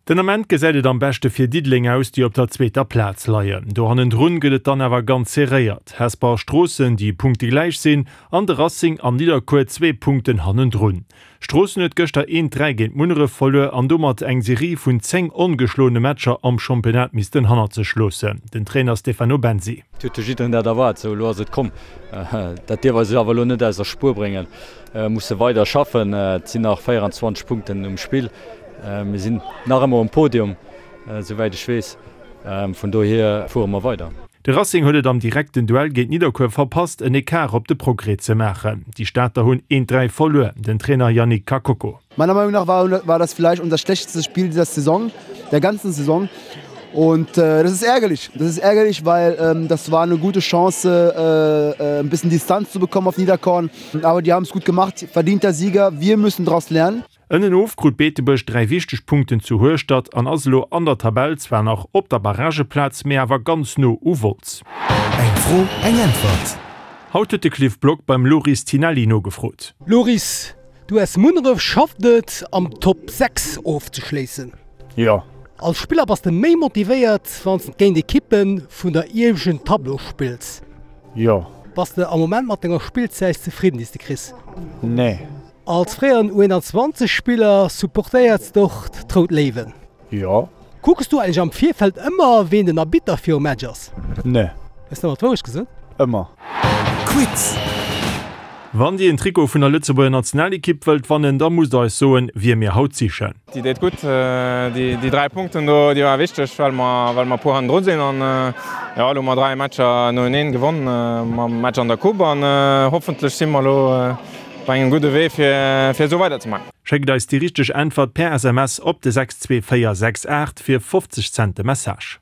Den Ament gesäit et am beschte fir Diddeleng aus, déi op der zweeter Plaz leien. Do hannendrun gëtt et dann awer ganz serréiert. Hesper a Stroossen, déi punktegläich sinn, an de Racing an Nidderkuer zwee Punkten hannendrun. Stroossen huet gëschter 1, 3 géint Munneref verluer an domat eng Serie vun 10 ongeschloene Matcher am Championnat missten hannert sech loossen. Den Trainer Stefano Bensi. Et huet jo jiddereen dat erwaart, sou elo ass et komm. Dat dierf eis awer elo net aus der Spuer bréngen. Musse weider schaffen. Et sinn nach 24 Punkten um Spill. Mir sinn nach ëmmer um Podium, souwäit ech weess. Vun dohier fuere mer weider. De Racing huet et am direkten Duell géint Nidderkuer verpasst, en Ecart op de Progrès ze maachen. Déi Stater hunn 1, 3 verluer. Den Trainer Yannick Kakoko. Meiner Meinung nach war war das vielleicht unser schlechtestes Spiel dieser Saison, der ganzen Saison. Und äh, das ist ärgerlich. Das ist ärgerlich, weil ähm, das war eine gute Chance, äh, äh, ein bisschen Distanz zu bekommen auf Niederkorn. Aber die haben es gut gemacht. Verdienter Sieger. Wir müssen daraus lernen. Ënnenof krut Beetebuerg 3 wichteg Punkten zu Hueschtert an ass elo an der Tabell zwar nach op der Barrageplaz, mee awer ganz no u Wolz. Eng Fro, eng Äntwert. Haut huet de Cliff Block beim Loris Tinelli nogefrot. Loris, d'US Munneref schafft et, am Top 6 ofzeschléissen. Jo. Als Spiller bass de méi motivéiert, wann s de géint Ekippe vun der ieweschten Tableau spills? Jo. Bass de am Moment mat denger Spillzäit zefridden, déi s de kriss? Nee. Als fréieren U21 Spiller supportéierts de och d'Rout Léiwen? Jo. Kucks du eigentlech am Virfeld ëmmer ween den Arbitter virum Match ass? Nee. Hues de ëmmer d'Wourecht gesot? Ëmmer. Quiz! Wann Dir en Trikot vun der Lëtzebuerger Nationalekipp wëllt wannen, da musst der eis soen, wie mir haut sichen. Déi deet gutt. Déi 3 Punkten do, déi ware wichteg, well mer, well mer puer hannendru sinn. An jo, elo hu mer 3 Matcher noeneen gewonn, mam Match an der Coupe an hoffentlech si mer elo Op engem gudde Wee fir fir esou weider ze maachen. Schéckt eis déi richteg Äntwert per SMS op de 62468 fir 50 Cent de Message.